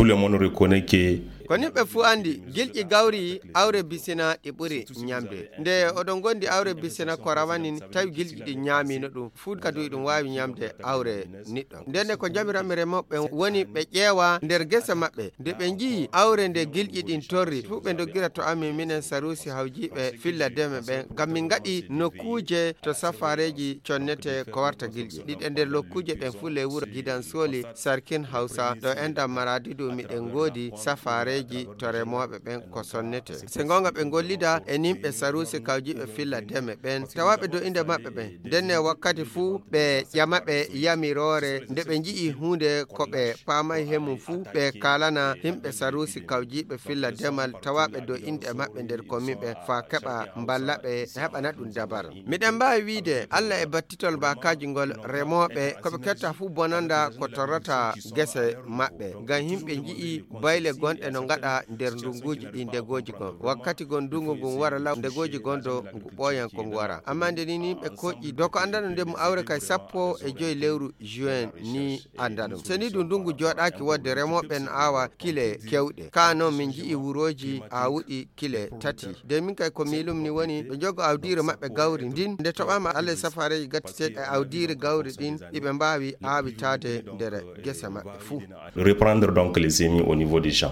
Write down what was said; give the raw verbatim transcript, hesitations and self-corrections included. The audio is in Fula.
Tout le monde reconnaît que ko nimɓe fuu anndi, gilƴi gawri awre bisina ɗi ɓuri ñamde. Nde oɗon ngondi awre bisina ko rawanin, tawi gilƴi ɗi ñaamino ɗum, fuu kadi ɗum waawi ñamde awre niɗɗo. Ndenne ko jamiranmi remooɓe woni ɓe ƴeewa nder gese maɓɓe. Nde ɓe njiyi awre nde gilƴi ɗin torri, fuu ɓe ndoggira to amin, minen Saruusi Hawjiiɓe Filla Deme ɓen, ngam min ngaɗi nokkuuje to safaareeji connete ko warta gilƴi. Ɗiɗe nder lokkuuje ɗen fuu ley wuro Gidan Sooli, Sarkin Hawsa, ɗo enɗan Maraadi du miɗen ngoodi safaareeji to remooɓe ɓen ko sonnete. Se goonga ɓe ngollida e nimɓe Saruusi Kawjiiɓe Filla Deme ɓen, tawaaɓe do innde maɓɓe ɓen. Ndenne wakkati fuu ɓe ƴama ɓe yamiroore, nde ɓe nji'i huunde ko ɓe paamay he mum fuu, ɓe kaalana himɓe Saruusi Kawjiiɓe Filla Demal tawaaɓe do innde maɓɓe nder komin ɓen faa keɓa mballa ɓe heɓana ɗum dabar. Miɗen mbaawi wiide Alla e battitol baakaaji ngol remooɓe ko ɓe ketta fuu bonanda ko torrata gese maɓɓe. Ngam himɓe nji'i bayle gonɗe no ngaɗa nder ndunguuji ɗi ndegooji gon. Wakkati gon ndungu ngun wara law ndegooji gon do ngu ɓooyan ko ngu wara. Amma nde ni ni ɓe koƴƴi do ko anndano nde mu awre kay sappo e joy lewru juin ni anndano. Se ni du ndungu jooɗaaki wodde remooɓe no aawa kile kewɗe. Ka noon min nji'i wurooji aawuɗi kile tati. De min kay ko miilum ni woni ɓe njogo awdiire maɓɓe gawri ndin. Nde toɓaama Alla e safaareeji gattiteeɗi e awdiire gawri ɗin, iɓe mbaawi aawitaade nder gese maɓɓe fuu. Reprendre donc les semis au niveau des champs.